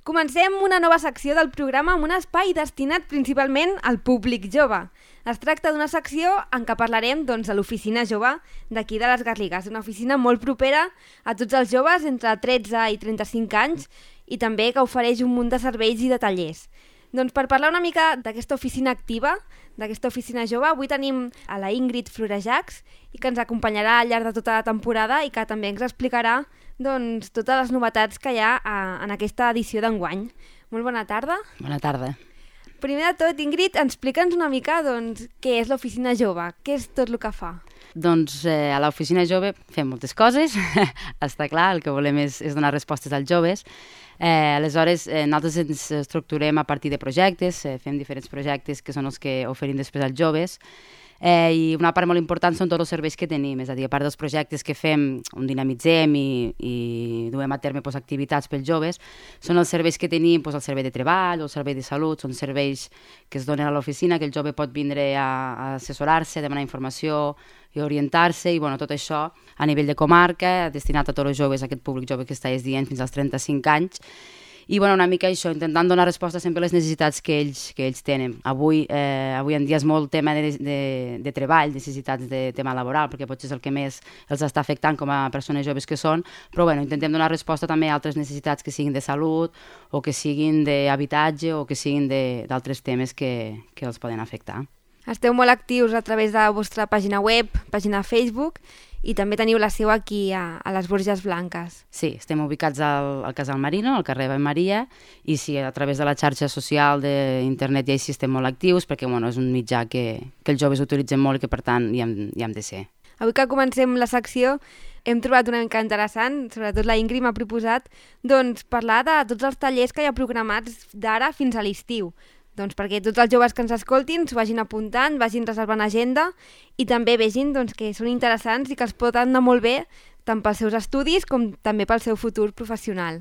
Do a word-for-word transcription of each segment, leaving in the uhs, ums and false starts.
Comencem una nova secció del programa amb un espai destinat principalment al públic jove. Es tracta d'una secció en què parlarem doncs, de l'oficina jove d'aquí de les Garrigues, una oficina molt propera a tots els joves entre tretze i trenta-cinc anys i també que ofereix un munt de serveis i de tallers. Doncs per parlar una mica d'aquesta oficina activa, d'aquesta oficina jove, avui tenim a la Ingrid Florejacs i que ens acompanyarà al llarg de tota la temporada i que també ens explicarà doncs, totes les novetats que hi ha a, en aquesta edició d'enguany. Molt bona tarda. Bona tarda. Primer de tot, Ingrid, explica'ns una mica doncs, què és l'oficina jove, què és tot el que fa. Doncs eh, a l'oficina jove fem moltes coses, està clar, el que volem és, és donar respostes als joves. Eh, aleshores, eh, nosaltres ens estructurem a partir de projectes, eh, fem diferents projectes que són els que oferim després als joves, eh, i una part molt important són tots els serveis que tenim, és a dir, a part dels projectes que fem, on dinamitzem i, i duem a terme pues, activitats pels joves, són els serveis que tenim, pues, el servei de treball o el servei de salut, són serveis que es donen a l'oficina, que el jove pot vindre a, a assessorar-se, demanar informació i orientar-se, i bueno, tot això a nivell de comarca, destinat a tots els joves, a aquest públic jove que estàs dient, fins als trenta-cinc anys, i bueno, una mica això, intentant donar resposta sempre a les necessitats que ells, que ells tenen. Avui, eh, avui en dia és molt tema de, de, de treball, necessitats de tema laboral, perquè potser és el que més els està afectant com a persones joves que són, però bueno, intentem donar resposta també a altres necessitats que siguin de salut o que siguin d'habitatge o que siguin d'altres temes que, que els poden afectar. Esteu molt actius a través de la vostra pàgina web, pàgina Facebook, i també teniu la seu aquí a, a les Borges Blanques. Sí, estem ubicats al, al Casal Marino, al carrer Ave Maria, i sí, a través de la xarxa social d'internet ja hi estem molt actius, perquè bueno, és un mitjà que, que els joves utilitzen molt i que per tant hi hem, hi hem de ser. Avui que comencem la secció hem trobat una mica interessant, sobretot la Ingrid m'ha proposat, doncs, parlar de tots els tallers que hi ha programats d'ara fins a l'estiu. Doncs perquè tots els joves que ens escoltin s'ho vagin apuntant, vagin reservant agenda i també vegin doncs, que són interessants i que els poden anar molt bé tant pels seus estudis com també pel seu futur professional.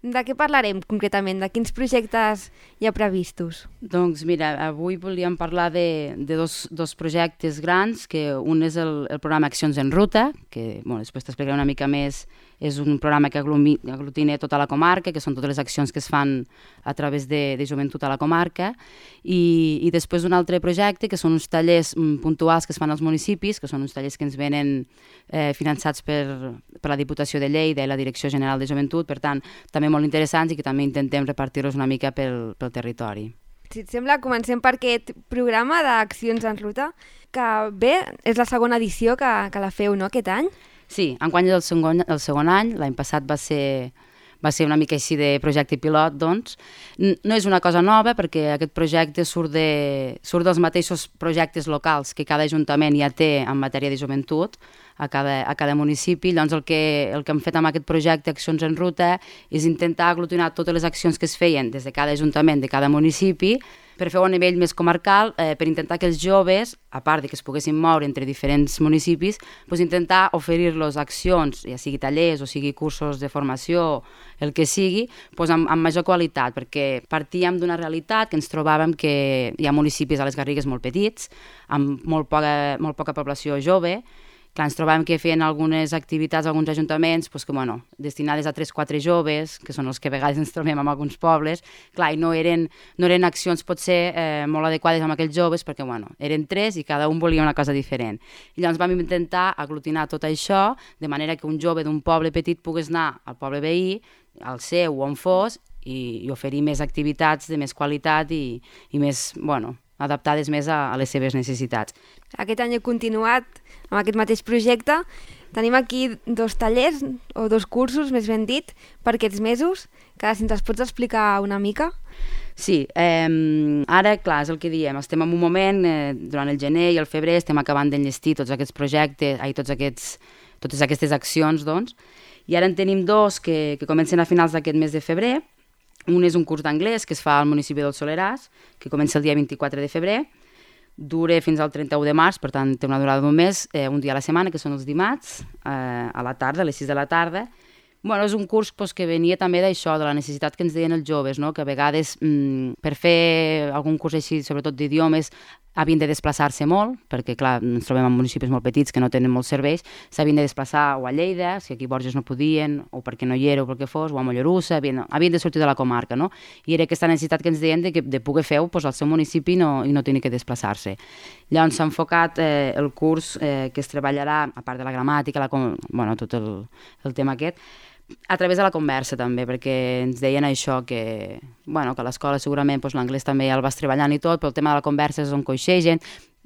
De què parlarem concretament? De quins projectes hi ha previstos? Doncs mira, avui volíem parlar de, de dos, dos projectes grans, que un és el, el programa Accions en Ruta, que bueno, després t'explicaré una mica més. És un programa que aglutina tota la comarca, que són totes les accions que es fan a través de, de joventut a la comarca, i, i després un altre projecte que són uns tallers puntuals que es fan als municipis, que són uns tallers que ens venen eh, finançats per, per la Diputació de Lleida i la Direcció General de Joventut, per tant, també molt interessants i que també intentem repartir-los una mica pel, pel territori. Si et sembla, comencem per aquest programa d'Accions en Ruta, que bé, és la segona edició que, que la feu, no?, aquest any? Sí, enguany és el segon, el segon any, l'any passat va ser, va ser una mica així de projecte pilot, doncs. No és una cosa nova perquè aquest projecte surt, de, surt dels mateixos projectes locals que cada ajuntament ja té en matèria de joventut a cada, a cada municipi. Llavors el que, el que hem fet amb aquest projecte Accions en Ruta és intentar aglutinar totes les accions que es feien des de cada ajuntament, de cada municipi, per fer-ho a nivell més comarcal, eh, per intentar que els joves, a part de que es poguessin moure entre diferents municipis, doncs intentar oferir-los accions, ja sigui tallers o sigui cursos de formació, el que sigui, doncs amb, amb major qualitat, perquè partíem d'una realitat que ens trobàvem que hi ha municipis a les Garrigues molt petits, amb molt poca, molt poca població jove. Clar, ens trobàvem que feien algunes activitats a alguns ajuntaments pues, que, bueno, destinades a tres o quatre joves, que són els que a vegades ens trobem en alguns pobles, clar, i no eren, no eren accions potser eh, molt adequades amb aquells joves perquè bueno, eren tres i cada un volia una cosa diferent. I llavors vam intentar aglutinar tot això de manera que un jove d'un poble petit pogués anar al poble veí, al seu o on fos, i, i oferir més activitats de més qualitat i, i més, bueno, adaptades més a, a les seves necessitats. Aquest any he continuat amb aquest mateix projecte. Tenim aquí dos tallers, o dos cursos, més ben dit, per aquests mesos, que si ens els pots explicar una mica. Sí, eh, ara, clar, és el que diem, estem en un moment, eh, durant el gener i el febrer, estem acabant d'enllestir tots aquests projectes, ai, tots aquests, totes aquestes accions, doncs, i ara en tenim dos que, que comencen a finals d'aquest mes de febrer. Un és un curs d'anglès que es fa al municipi del Soleràs, que comença el dia vint-i-quatre de febrer, dura fins al trenta-u de març, per tant té una durada d'un mes, eh, un dia a la setmana, que són els dimarts, eh, a la tarda, a les sis de la tarda. Bueno, és un curs pues, que venia també d'això, de la necessitat que ens deien els joves, no? Que a vegades mm, per fer algun curs així, sobretot d'idiomes, havien de desplaçar-se molt, perquè clar, ens trobem en municipis molt petits que no tenen molts serveis, s'havien de desplaçar o a Lleida, si aquí a Borges no podien, o perquè no hi era o pel que fos, o a Mollerussa, havien, havien de sortir de la comarca, no? I era aquesta necessitat que ens deien de, que, de poder fer-ho pues, al seu municipi no, i no tenir que desplaçar-se. Llavors s'ha enfocat eh, el curs eh, que es treballarà, a part de la gramàtica, la, bueno, tot el, el tema aquest, a través de la conversa també, perquè ens deien això, que, bueno, que a l'escola segurament doncs, l'anglès també ja el vas treballant i tot, però el tema de la conversa és on coixegen,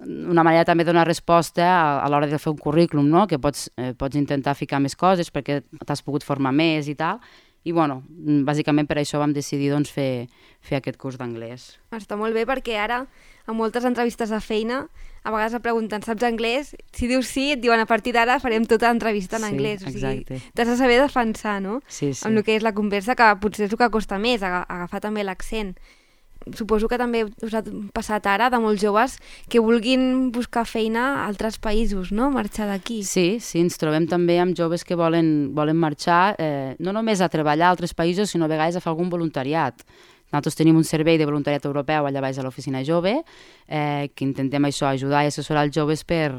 una manera també de donar resposta a, a l'hora de fer un currículum, no? Que pots, eh, pots intentar ficar més coses perquè t'has pogut formar més i tal, i bueno, bàsicament per això vam decidir doncs, fer, fer aquest curs d'anglès. Està molt bé perquè ara, a moltes entrevistes de feina, a vegades et pregunten, saps anglès? Si dius sí, et diuen a partir d'ara farem tota l'entrevista en sí, anglès. O sigui, exacte. t'has de saber defensar, no? Sí, sí. Amb el que és la conversa, que potser és el que costa més, agafar també l'accent. Suposo que també us ha passat ara de molts joves que vulguin buscar feina a altres països, no? Marxar d'aquí. Sí, sí, ens trobem també amb joves que volen, volen marxar eh, no només a treballar a altres països, sinó a vegades a fer algun voluntariat. Nosaltres tenim un servei de voluntariat europeu allà baix a l'oficina jove, eh, que intentem això, ajudar i assessorar els joves per,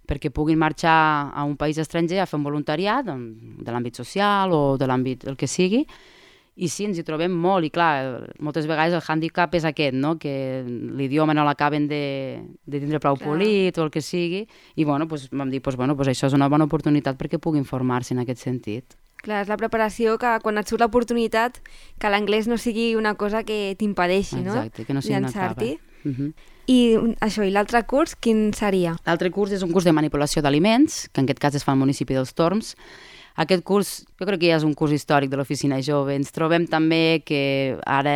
perquè puguin marxar a un país estranger a fer un voluntariat de l'àmbit social o de l'àmbit el que sigui. I sí, ens hi trobem molt, i clar, moltes vegades el hàndicap és aquest, no? Que l'idioma no l'acaben de, de tindre prou clar. Polit o el que sigui, i bueno, pues, vam dir, pues, bueno, pues això és una bona oportunitat perquè puguin formar-se en aquest sentit. Clar, és la preparació que quan et surt l'oportunitat, que l'anglès no sigui una cosa que t'impedeixi, no? Exacte, que no sigui una trava. Uh-huh. I això, i l'altre curs, quin seria? L'altre curs és un curs de manipulació d'aliments, que en aquest cas es fa al municipi dels Torms. Aquest curs, jo crec que ja és un curs històric de l'oficina jove. Ens trobem també que ara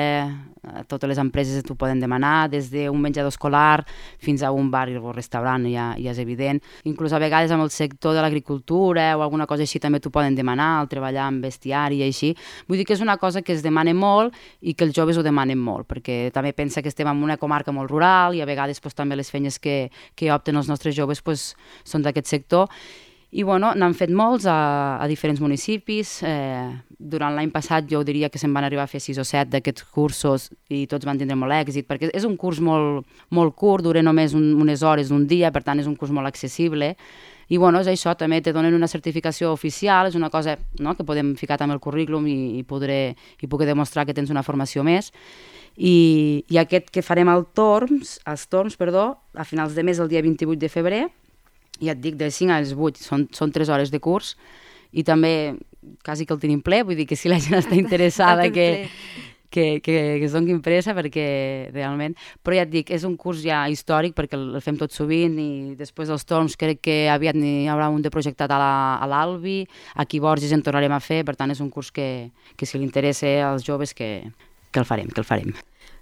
totes les empreses t'ho poden demanar, des d'un menjador escolar fins a un bar o restaurant, ja, ja és evident. Inclús a vegades amb el sector de l'agricultura o alguna cosa així també t'ho poden demanar, el treballar amb bestiari i així. Vull dir que és una cosa que es demana molt i que els joves ho demanen molt, perquè també pensa que estem en una comarca molt rural i a vegades pues, també les feines que, que opten els nostres joves pues, són d'aquest sector. I bueno, n'han fet molts a, a diferents municipis. Eh, durant l'any passat jo diria que se'n van arribar a fer sis o set d'aquests cursos i tots van tindre molt èxit, perquè és un curs molt, molt curt, dura només un, unes hores d'un dia, per tant és un curs molt accessible. I bueno, és això, també te donen una certificació oficial, és una cosa no, que podem ficar també al currículum i, i, podré, i poder demostrar que tens una formació més. I, i aquest que farem al Torms, als Torms, perdó, a finals de mes, el dia vint-i-vuit de febrer, i et dic, de cinc als vuit, són, són tres hores de curs, i també quasi que el tenim ple, vull dir que si la gent està interessada que, que, que, que es doni pressa, perquè realment... Però ja et dic, és un curs ja històric, perquè el fem tot sovint, i després dels torns crec que aviat n'hi haurà un de projectat a l'Albi, aquí a Borges en tornarem a fer, per tant és un curs que, que si li interessa als joves que, que el farem, que el farem.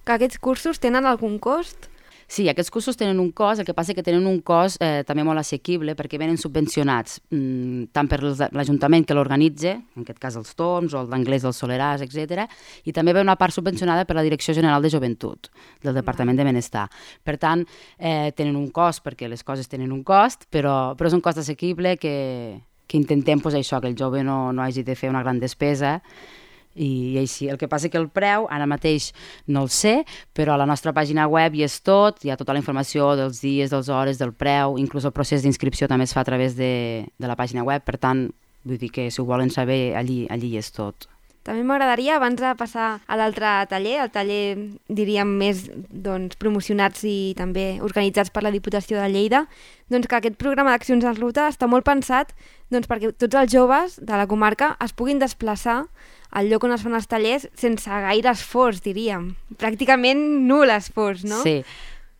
Que aquests cursos tenen algun cost? Sí, aquests cursos tenen un cost, el que passa és que tenen un cost eh, també molt assequible perquè venen subvencionats mm, tant per l'Ajuntament que l'organitza, en aquest cas els Torms o el d'Anglès del Soleràs, etcètera, i també ve una part subvencionada per la Direcció General de Joventut del Departament de Benestar. Per tant, eh, tenen un cost perquè les coses tenen un cost, però, però és un cost assequible que, que intentem pues, això, que el jove no, no hagi de fer una gran despesa. I així, el que passa que el preu, ara mateix no el sé, però a la nostra pàgina web hi és tot, hi ha tota la informació dels dies, dels hores, del preu, inclús el procés d'inscripció també es fa a través de, de la pàgina web, per tant, vull dir que si ho volen saber, allí, allí hi és tot. També m'agradaria, abans de passar a l'altre taller, el taller, diríem, més doncs, promocionats i també organitzats per la Diputació de Lleida, doncs que aquest programa d'accions en ruta està molt pensat doncs, perquè tots els joves de la comarca es puguin desplaçar al lloc on es fan els tallers sense gaire esforç, diríem. Pràcticament nul esforç, no? Sí.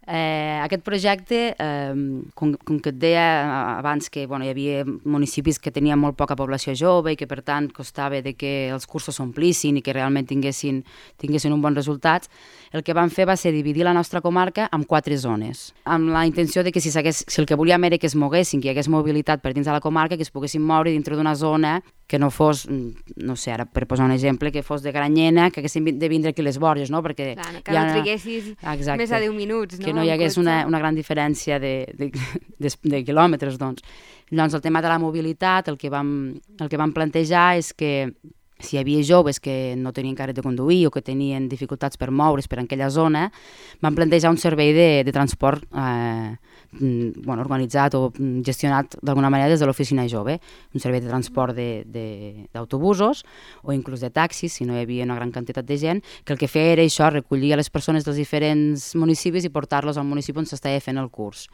Eh, aquest projecte, eh, com, com que et deia abans que bueno, hi havia municipis que tenien molt poca població jove i que per tant costava de que els cursos s'omplissin i que realment tinguessin, tinguessin un bon resultat, el que vam fer va ser dividir la nostra comarca en quatre zones, amb la intenció de que si, si el que volíem era que es moguessin, que hi hagués mobilitat per dins de la comarca, que es poguessin moure dintre d'una zona que no fos, no sé, ara per posar un exemple, que fos de Granyena, que haguessin de vindre aquí les Borges, no? Perquè clar, que no triguessis exacte, més de deu minuts, no? Que no hi hagués una, una gran diferència de, de, de, de quilòmetres, doncs. Llavors, el tema de la mobilitat, el que vam, el que vam plantejar és que si hi havia joves que no tenien carnet de conduir o que tenien dificultats per moure's per aquella zona, van plantejar un servei de, de transport eh, bueno, organitzat o gestionat d'alguna manera des de l'oficina jove, un servei de transport d'autobusos o inclús de taxis, si no hi havia una gran quantitat de gent, que el que feia era això, recollir a les persones dels diferents municipis i portar-los al municipi on s'estava fent el curs.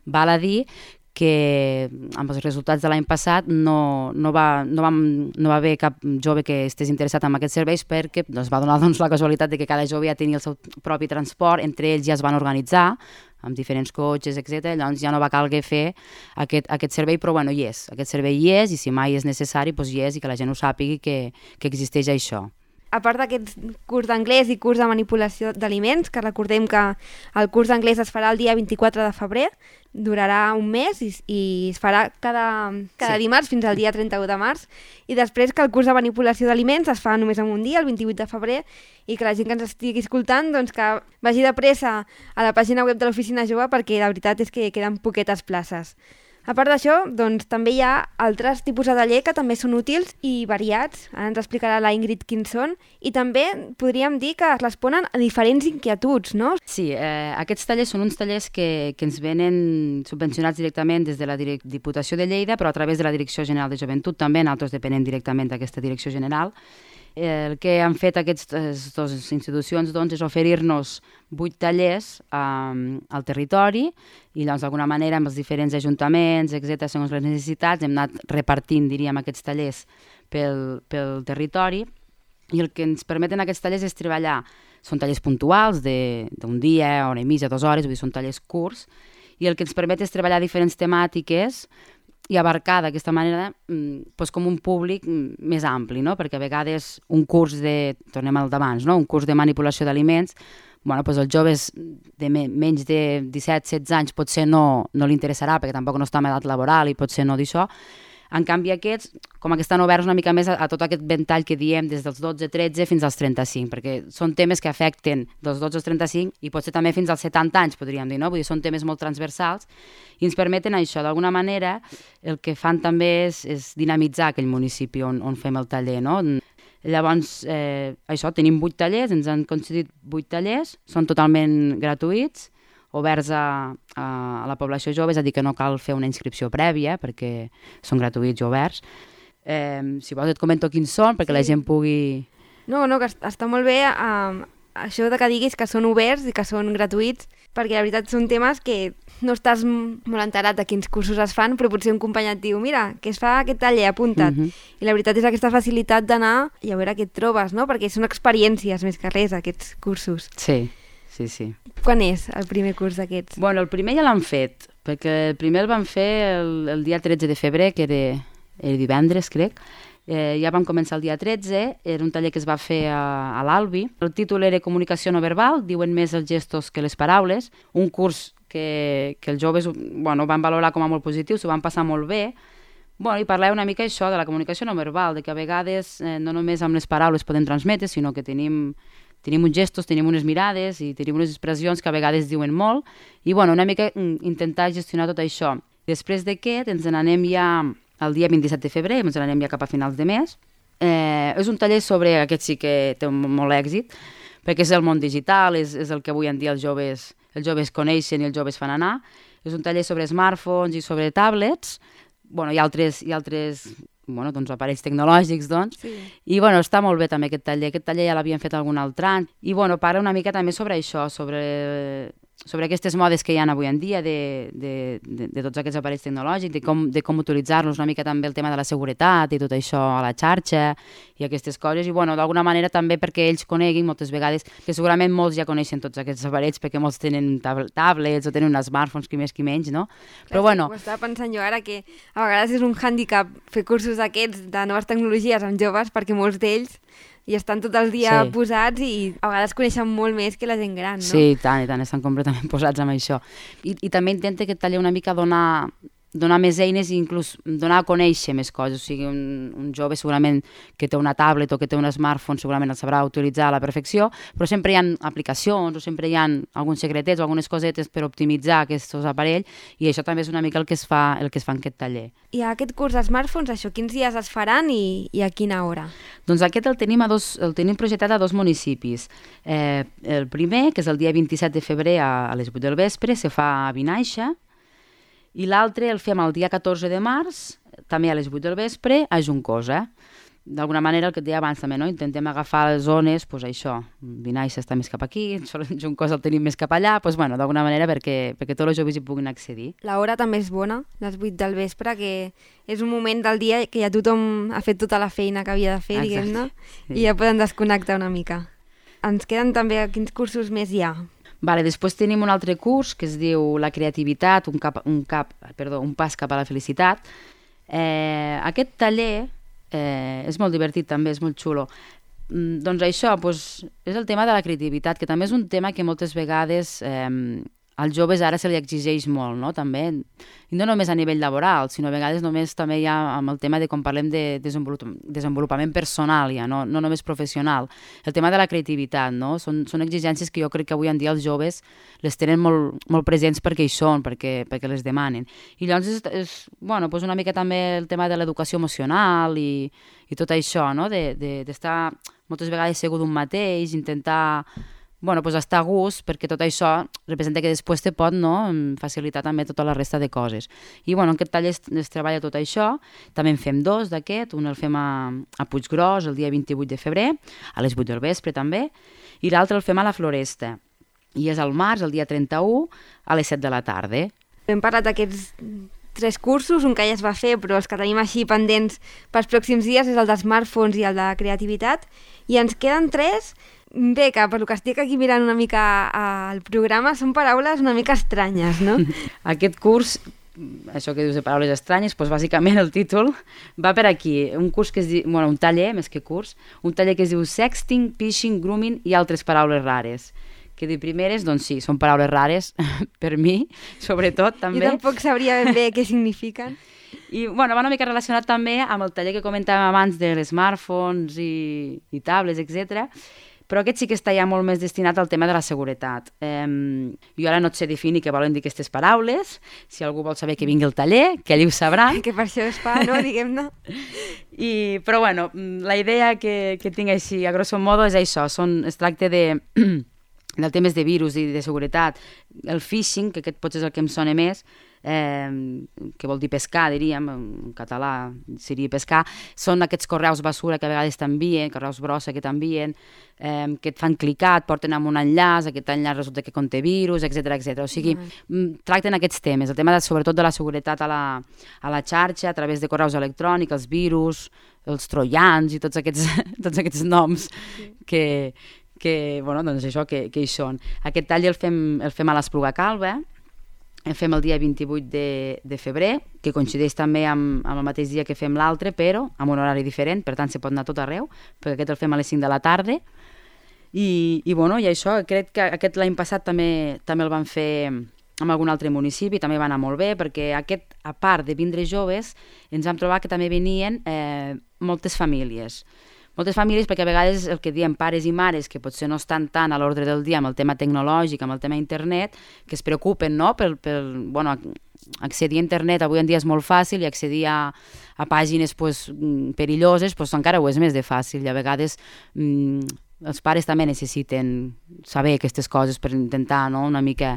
Val a dir que amb els resultats de l'any passat no, no, va, no, vam, no va haver cap jove que estigués interessat en aquests serveis perquè es va donar doncs, la casualitat de que cada jove ja tenia el seu propi transport, entre ells ja es van organitzar amb diferents cotxes, etcètera. Llavors ja no va calguer fer aquest, aquest servei, però bueno, hi és. Aquest servei hi és i si mai és necessari, doncs hi és i que la gent ho sàpigui que, que existeix això. A part d'aquest curs d'anglès i curs de manipulació d'aliments, que recordem que el curs d'anglès es farà el dia vint-i-quatre de febrer, durarà un mes i, i es farà cada, cada sí. dimarts fins al dia trenta-u de març, i després que el curs de manipulació d'aliments es fa només en un dia, el vint-i-vuit de febrer, i que la gent que ens estigui escoltant doncs que vagi de pressa a la pàgina web de l'Oficina Jove perquè la veritat és que queden poquetes places. A part d'això, doncs, també hi ha altres tipus de taller que també són útils i variats. Ara ens explicarà la Ingrid quins són. I també podríem dir que es responen a diferents inquietuds, no? Sí, eh, aquests tallers són uns tallers que, que ens venen subvencionats directament des de la Diputació de Lleida, però a través de la Direcció General de Joventut també, nosaltres depenem directament d'aquesta Direcció General. El que han fet aquestes dues institucions doncs, és oferir-nos vuit tallers um, al territori i doncs, d'alguna manera amb els diferents ajuntaments, etcètera, segons les necessitats, hem anat repartint, diríem, aquests tallers pel, pel territori i el que ens permeten aquests tallers és treballar. Són tallers puntuals d'un dia, hora i mitja, dues hores, vull dir, són tallers curts i el que ens permet és treballar diferents temàtiques i abarcar d'aquesta manera doncs, com un públic més ampli, no? Perquè a vegades un curs de, tornem al d'abans, no? Un curs de manipulació d'aliments, bueno, doncs els joves de me, menys de disset setze anys potser no, no li interessarà perquè tampoc no està en edat laboral i potser no d'això. En canvi aquests, com que estan oberts una mica més a, a tot aquest ventall que diem des dels dotze tretze fins als trenta-cinc, perquè són temes que afecten dels dotze als trenta-cinc i potser també fins als setanta anys, podríem dir, no? Vull dir, són temes molt transversals i ens permeten això. D'alguna manera, el que fan també és, és dinamitzar aquell municipi on, on fem el taller, no? Llavors, eh, això, tenim vuit tallers, ens han concedit vuit tallers, són totalment gratuïts, oberts a, a, a la població jove, és a dir, que no cal fer una inscripció prèvia perquè són gratuïts i oberts. Eh, si vols et comento quins són perquè sí. La gent pugui... No, no, que està molt bé eh, això de que diguis que són oberts i que són gratuïts, perquè la veritat són temes que no estàs molt enterat de quins cursos es fan, però potser un company et diu, mira, que es fa aquest taller, apunta't. Uh -huh. I la veritat és aquesta facilitat d'anar i a veure què et trobes, no? Perquè són experiències més que res, aquests cursos. Sí. Sí, sí. Quan és el primer curs d'aquests? Bueno, el primer ja l'han fet, perquè el primer el van fer el, el dia tretze de febrer, que era, era divendres, crec. Eh, ja vam començar el dia tretze, era un taller que es va fer a, a l'Albi. El títol era Comunicació no verbal, diuen més els gestos que les paraules. Un curs que, que els joves bueno, van valorar com a molt positiu, s'ho van passar molt bé. Bueno, i parlem una mica això de la comunicació no verbal, de que a vegades eh, no només amb les paraules podem transmetre, sinó que tenim... Tenim uns gestos, tenim unes mirades i tenim unes expressions que a vegades diuen molt i bueno, una mica intentar gestionar tot això. Després d'aquest ens n'anem ja el dia vint-i-set de febrer, ens n'anem ja cap a finals de mes. Eh, és un taller sobre, aquest sí que té molt èxit, perquè és el món digital, és, és el que avui en dia els joves, els joves coneixen i els joves fan anar. És un taller sobre smartphones i sobre tablets. Bueno, hi ha altres... Hi ha altres bueno, doncs aparells tecnològics, doncs, sí. I bueno, està molt bé també aquest taller, aquest taller ja l'havien fet algun altre any, i bueno, parla una mica també sobre això, sobre, sobre aquestes modes que hi ha avui en dia de, de, de, de tots aquests aparells tecnològics, de com, de com utilitzar-los, una mica també el tema de la seguretat i tot això a la xarxa i aquestes coses, i bueno, d'alguna manera també perquè ells coneguin moltes vegades, que segurament molts ja coneixen tots aquests aparells perquè molts tenen tab tablets o tenen uns smartphones, qui més qui menys, no? Però Clar, bueno... Ho estava pensant jo ara que a vegades és un hàndicap fer cursos d'aquests de noves tecnologies amb joves perquè molts d'ells i estan tot el dia sí. posats i a vegades coneixen molt més que la gent gran, no? Sí, i tant, i tant, estan completament posats amb això. I, i també intenta aquest taller una mica donar donar més eines i inclús donar a conèixer més coses. O sigui, un, un jove segurament que té una tablet o que té un smartphone segurament el sabrà utilitzar a la perfecció, però sempre hi ha aplicacions o sempre hi ha alguns secretets o algunes cosetes per optimitzar aquests aparells, i això també és una mica el que es fa, el que es fa en aquest taller. I aquest curs de smartphones, això, quins dies es faran i, i a quina hora? Doncs aquest el tenim, a dos, el tenim projectat a dos municipis. Eh, el primer, que és el dia vint-i-set de febrer a, a les vuit del vespre, se fa a Vinaixa, i l'altre el fem el dia catorze de març, també a les vuit del vespre, a Juncosa. D'alguna manera, el que et deia abans també, no? Intentem agafar les zones, doncs això, Vinaixa està més cap aquí, Juncosa el tenim més cap allà, doncs bueno, d'alguna manera perquè, perquè tots els joves hi puguin accedir. L'hora també és bona, les vuit del vespre, que és un moment del dia que ja tothom ha fet tota la feina que havia de fer, diguem-ne, sí. I ja poden desconnectar una mica. Ens queden també quins cursos més hi ha? Vale, després tenim un altre curs que es diu La creativitat, un, cap, un, cap, perdó, un pas cap a la felicitat. Eh, aquest taller eh, és molt divertit també, és molt xulo. Mm, doncs això, doncs, és el tema de la creativitat, que també és un tema que moltes vegades eh, als joves ara se li exigeix molt, no? També, i no només a nivell laboral, sinó a vegades només també hi ha amb el tema de quan parlem de desenvolupament, desenvolupament personal, ja, no, no només professional. El tema de la creativitat, no? Són, són exigències que jo crec que avui en dia els joves les tenen molt, molt presents perquè hi són, perquè, perquè les demanen. I llavors és, és bueno, doncs una mica també el tema de l'educació emocional i, i tot això, no? De, de, d'estar moltes vegades segur d'un mateix, intentar bueno, pues estar a gust, perquè tot això representa que després te pot, no, facilitar també tota la resta de coses. I bueno, en aquest taller es, es treballa tot això, també en fem dos d'aquest, un el fem a, a Puiggròs el dia vint-i-vuit de febrer, a les vuit del vespre també, i l'altre el fem a la Floresta, i és al març, el dia trenta-u, a les set de la tarda. Hem parlat d'aquests tres cursos, un que ja es va fer, però els que tenim així pendents pels pròxims dies és el de smartphones i el de creativitat, i ens queden tres. Bé, que per lo que estic aquí mirant una mica al programa són paraules una mica estranyes, no? Aquest curs, això que dius de paraules estranyes, doncs bàsicament el títol va per aquí. Un curs que es diu, bueno, un taller, més que curs, un taller que es diu Sexting, Phishing, Grooming i altres paraules rares. Que de primeres, doncs sí, són paraules rares per mi, sobretot també. Jo tampoc sabria ben bé què signifiquen. I bueno, va una mica relacionat també amb el taller que comentàvem abans de les smartphones i, i tablets, etcètera. Però aquest sí que està ja molt més destinat al tema de la seguretat. Eh, jo ara no et sé definir què volen dir aquestes paraules. Si algú vol saber que vingui al taller, que ell ho sabrà. Que per això es fa, no? Diguem-ne. I, però bueno, la idea que, que tinc així, a grosso modo, és això. Són, es tracta de, del temes de virus i de seguretat. El phishing, que aquest potser és el que em sona més, Eh, que vol dir pescar, diríem, en català seria pescar, són aquests correus basura que a vegades t'envien, correus brossa que t'envien, eh, que et fan clicar, et porten amb un enllaç, aquest enllaç resulta que conté virus, etcètera, etcètera. O sigui, uh-huh. tracten aquests temes, el tema de, sobretot de la seguretat a la, a la xarxa, a través de correus electrònics, els virus, els troians i tots aquests, tots aquests noms sí. que, que, bueno, doncs això, que, que hi són. Aquest tall el fem, el fem a l'Espluga Calba, el fem el dia vint-i-vuit de, de febrer, que coincideix també amb, amb el mateix dia que fem l'altre, però amb un horari diferent, per tant se pot anar tot arreu, perquè aquest el fem a les cinc de la tarda. I, i, bueno, i això, crec que aquest l'any passat també, també el van fer amb algun altre municipi, també va anar molt bé, perquè aquest, a part de vindre joves, ens vam trobar que també venien eh, moltes famílies. Moltes famílies, perquè a vegades el que diem pares i mares, que potser no estan tant a l'ordre del dia amb el tema tecnològic, amb el tema internet, que es preocupen, no?, per, per bueno, accedir a internet avui en dia és molt fàcil i accedir a, a pàgines pues, perilloses pues, encara ho és més de fàcil. I a vegades mm, els pares també necessiten saber aquestes coses per intentar, no?, una mica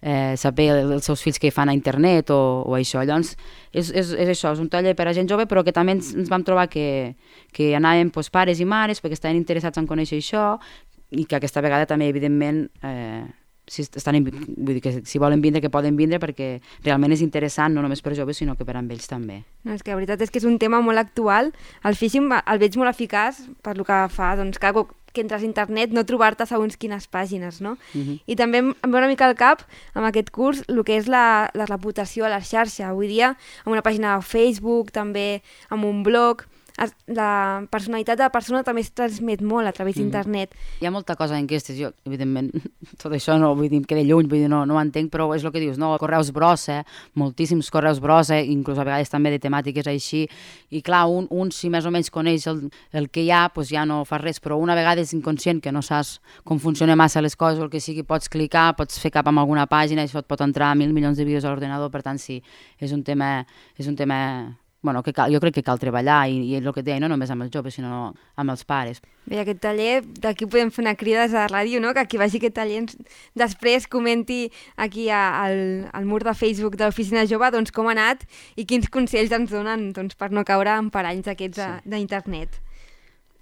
eh, saber els seus fills que hi fan a internet o, o això. Llavors, és, és, és això, és un taller per a gent jove, però que també ens, ens vam trobar que, que anàvem pues, pares i mares perquè estaven interessats en conèixer això i que aquesta vegada també, evidentment, eh, si, estan, vull dir que si volen vindre, que poden vindre perquè realment és interessant, no només per joves, sinó que per a ells també. No, és que la veritat és que és un tema molt actual. El phishing el veig molt eficaç per lo que fa, doncs, cada cop que entres a internet no trobar-te segons quines pàgines, no? Uh-huh. I també em ve una mica al cap, amb aquest curs, el que és la, la reputació a la xarxa. Avui dia, amb una pàgina de Facebook, també amb un blog, es, la personalitat de la persona també es transmet molt a través d'internet. Mm. Hi ha molta cosa en enquestes, jo, evidentment, tot això no, vull dir, em queda lluny, vull dir, no, no ho entenc, però és el que dius, no? Correus brossa, moltíssims correus brossa, inclús a vegades també de temàtiques així, i clar, un, un si més o menys coneix el, el que hi ha, doncs ja no fa res, però una vegada és inconscient que no saps com funcionen massa les coses o el que sigui, pots clicar, pots fer cap amb alguna pàgina, això et pot entrar a mil milions de vídeos a l'ordenador, per tant, sí, és un tema, és un tema bueno, que cal, jo crec que cal treballar i, i el que et deia, no només amb els joves, sinó amb els pares. Bé, aquest taller, d'aquí podem fer una crida des de la ràdio, no? Que qui vagi a aquest taller ens, després comenti aquí a, al, al mur de Facebook de l'Oficina Jove doncs, com ha anat i quins consells ens donen doncs, per no caure en paranys aquests sí. d'internet.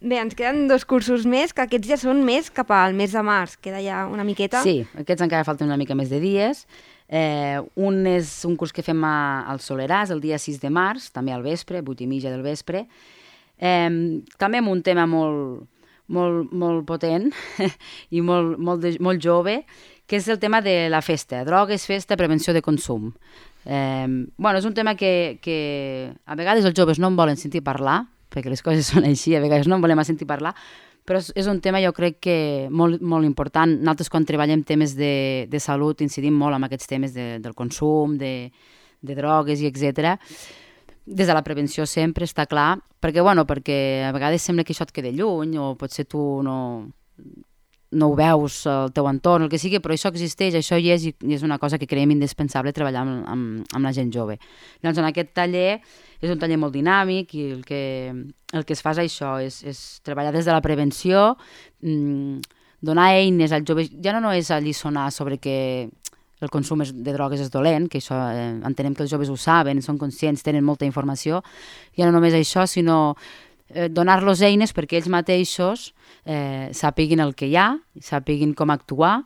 Bé, ens queden dos cursos més, que aquests ja són més cap al mes de març, queda ja una miqueta. Sí, aquests encara falten una mica més de dies. Eh, un és un curs que fem a, al Soleràs el dia sis de març, també al vespre, vuit i mitja del vespre. Eh, també amb un tema molt, molt, molt potent i molt, molt, de, molt jove, que és el tema de la festa, drogues, festa, prevenció de consum. Eh, bueno, és un tema que, que a vegades els joves no en volen sentir parlar, perquè les coses són així, a vegades no en volem sentir parlar, però és un tema jo crec que molt, molt important. Nosaltres quan treballem temes de, de salut incidim molt en aquests temes de, del consum, de, de drogues i etcètera. Des de la prevenció sempre està clar, perquè, bueno, perquè a vegades sembla que això et queda lluny o potser tu no, no ho veus al teu entorn, el que sigui, però això existeix, això hi és i és una cosa que creiem indispensable treballar amb, amb, amb la gent jove. Llavors en aquest taller és un taller molt dinàmic i el que, el que es fa és això, és, és treballar des de la prevenció, mmm, donar eines als joves, ja no, no és alliçonar sobre que el consum de drogues és dolent, que això eh, entenem que els joves ho saben, són conscients, tenen molta informació, ja no només això, sinó eh, donar-los eines perquè ells mateixos eh, sàpiguin el que hi ha, sàpiguin com actuar.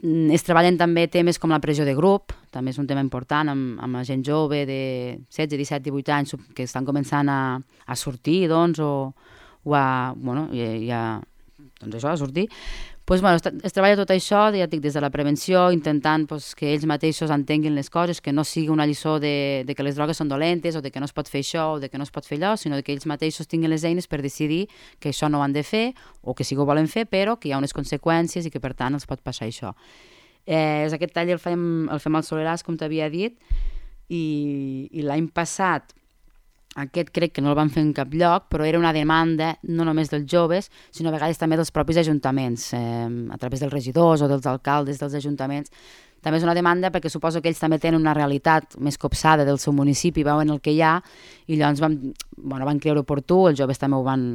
Es treballen també temes com la pressió de grup, també és un tema important amb, amb la gent jove de setze, disset, divuit anys que estan començant a, a sortir, doncs, o, o a, bueno, i, i a, doncs això, a sortir. Pues, bueno, es, es treballa tot això, ja dic, des de la prevenció, intentant pues, que ells mateixos entenguin les coses, que no sigui una lliçó de, de que les drogues són dolentes o de que no es pot fer això o de que no es pot fer allò, sinó que ells mateixos tinguin les eines per decidir que això no ho han de fer o que sí que ho volen fer, però que hi ha unes conseqüències i que per tant els pot passar això. Eh, aquest taller el fem, el fem al Soleràs, com t'havia dit, i, i l'any passat aquest crec que no el van fer en cap lloc, però era una demanda no només dels joves, sinó a vegades també dels propis ajuntaments, eh, a través dels regidors o dels alcaldes dels ajuntaments. També és una demanda perquè suposo que ells també tenen una realitat més copsada del seu municipi, veuen el que hi ha, i llavors van, bueno, van creure oportú, els joves també ho van,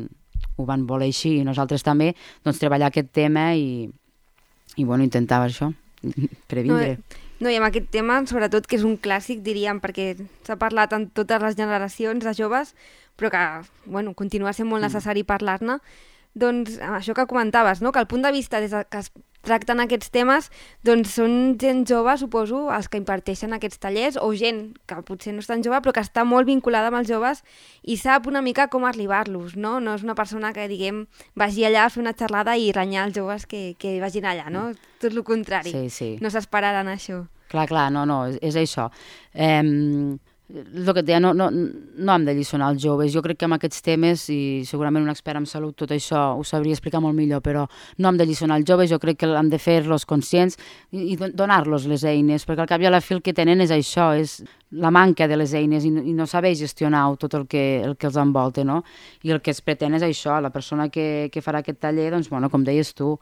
ho van voler així, i nosaltres també, doncs, treballar aquest tema i, i bueno, intentar això, previndre. No, No, i amb aquest tema, sobretot, que és un clàssic, diríem, perquè s'ha parlat en totes les generacions de joves, però que, bueno, continua sent molt necessari parlar-ne. Doncs això que comentaves, no? Que el punt de vista des que es tracten aquests temes, doncs són gent jove, suposo, els que imparteixen aquests tallers, o gent que potser no és tan jove, però que està molt vinculada amb els joves i sap una mica com arribar-los, no? No és una persona que, diguem, vagi allà a fer una xerrada i renyar els joves que, que vagin allà, no? Tot el contrari. Sí, sí. No s'esperaran això. Clar, clar, no, no, és, és això. Eh, el que et deia, no, no, no hem de lliçonar els joves. Jo crec que amb aquests temes, i segurament un expert en salut tot això ho sabria explicar molt millor, però no hem de lliçonar els joves, jo crec que hem de fer-los conscients i, i donar-los les eines, perquè al cap i a la fi el que tenen és això, és la manca de les eines i, i no saber gestionar tot el que, el que els envolta, no? I el que es pretén és això, la persona que, que farà aquest taller, doncs, bueno, com deies tu,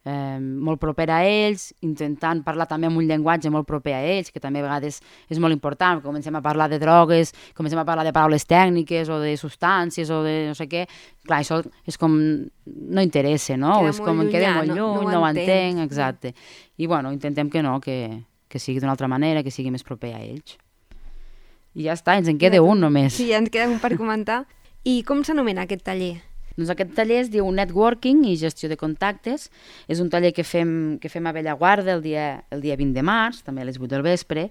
eh, molt proper a ells, intentant parlar també amb un llenguatge molt proper a ells, que també a vegades és molt important, comencem a parlar de drogues, comencem a parlar de paraules tècniques o de substàncies o de no sé què, clar, això és com no interessa, no? Queda és com em queda molt lluny, no, no, no ho entenc, exacte. I bueno, intentem que no, que, que sigui d'una altra manera, que sigui més proper a ells. I ja està, ens en queda un només. Sí, ja ens queda un per comentar. I com s'anomena aquest taller? Doncs aquest taller es diu Networking i Gestió de Contactes. És un taller que fem, que fem a Bellaguarda el dia, el dia vint de març, també a les vuit del vespre.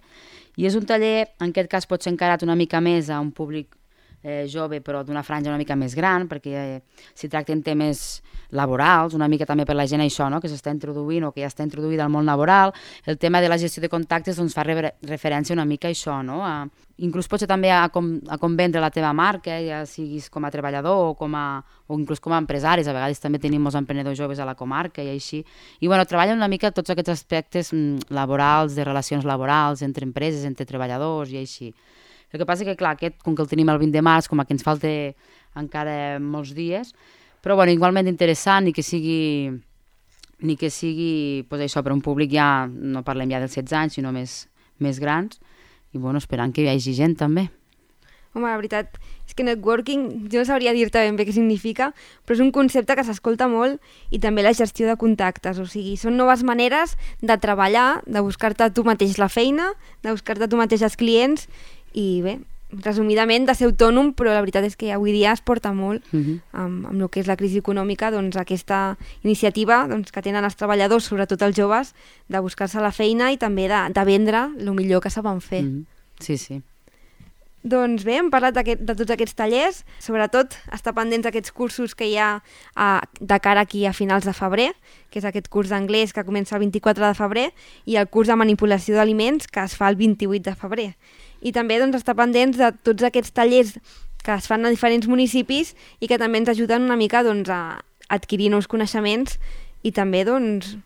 I és un taller, en aquest cas, pot ser encarat una mica més a un públic eh, jove, però d'una franja una mica més gran, perquè eh, s'hi tracten temes laborals, una mica també per la gent això, no? Que s'està introduint o que ja està introduïda al món laboral. El tema de la gestió de contactes doncs, fa re referència una mica a això, no? A, inclús potser també a com, a com vendre la teva marca, ja siguis com a treballador o, com a, o inclús com a empresaris. A vegades també tenim molts emprenedors joves a la comarca i així. I bueno, treballen una mica tots aquests aspectes mm, laborals, de relacions laborals entre empreses, entre treballadors i així. El que passa que, clar, aquest, com que el tenim el vint de març, com que ens falta encara molts dies, però bueno, igualment interessant, ni que sigui, ni que sigui pues, això, per un públic ja, no parlem ja dels setze anys, sinó més, més grans, i bueno, esperant que hi hagi gent també. Home, la veritat és que networking, jo no sabria dir-te ben bé què significa, però és un concepte que s'escolta molt, i també la gestió de contactes, o sigui, són noves maneres de treballar, de buscar-te tu mateix la feina, de buscar-te tu mateix els clients, i bé, resumidament, de ser autònom, però la veritat és que avui dia es porta molt uh-huh. amb, amb el que és la crisi econòmica, doncs aquesta iniciativa doncs, que tenen els treballadors, sobretot els joves, de buscar-se la feina i també de, de vendre el millor que saben fer. Uh-huh. Sí, sí. Doncs bé, hem parlat de tots aquests tallers, sobretot estar pendents d'aquests cursos que hi ha a, de cara aquí a finals de febrer, que és aquest curs d'anglès que comença el vint-i-quatre de febrer i el curs de manipulació d'aliments que es fa el vint-i-vuit de febrer. I també doncs, estar pendents de tots aquests tallers que es fan a diferents municipis i que també ens ajuden una mica doncs, a adquirir nous coneixements i també doncs,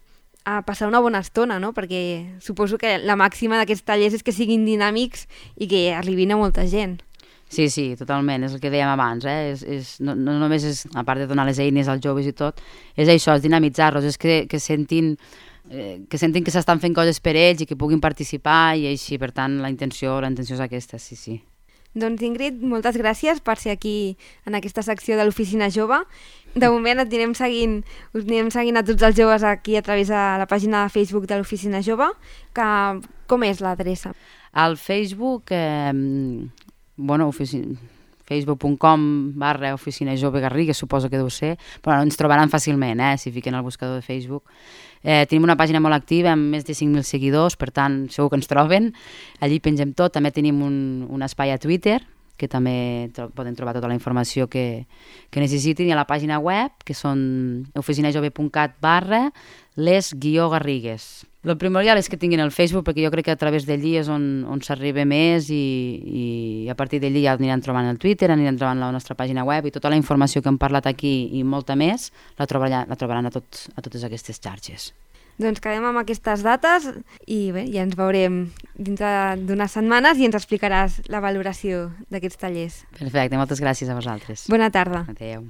a passar una bona estona, no? Perquè suposo que la màxima d'aquests tallers és que siguin dinàmics i que arribin a molta gent. Sí, sí, totalment, és el que dèiem abans, eh? és, és, no, no només és, a part de donar les eines als joves i tot, és això, és dinamitzar-los, és que, que sentin eh, que sentin que s'estan fent coses per ells i que puguin participar i així, per tant, la intenció, la intenció és aquesta, sí, sí. Doncs Ingrid, moltes gràcies per ser aquí en aquesta secció de l'Oficina Jove. De moment et anirem seguint, us anirem seguint a tots els joves aquí a través de la pàgina de Facebook de l'Oficina Jove. Que, com és l'adreça? Al Facebook, eh, bueno, oficina, facebook punt com barra Oficina Jove Garrigues, suposo que deu ser, però ens trobaran fàcilment, eh, si fiquen al buscador de Facebook. Eh, tenim una pàgina molt activa amb més de cinc mil seguidors, per tant segur que ens troben, allí pengem tot. També tenim un, un espai a Twitter que també tro poden trobar tota la informació que, que necessitin, i a la pàgina web, que són oficinajove punt cat barra les guió Garrigues. El primordial és que tinguin el Facebook, perquè jo crec que a través d'allí és on, on s'arriba més, i, i a partir d'allí ja aniran trobant el Twitter, aniran trobant la nostra pàgina web, i tota la informació que hem parlat aquí i molta més la trobaran, la trobaran a, tot, a totes aquestes xarxes. Doncs quedem amb aquestes dates i bé, ja ens veurem dintre d'unes setmanes i ens explicaràs la valoració d'aquests tallers. Perfecte, moltes gràcies a vosaltres. Bona tarda. Adéu.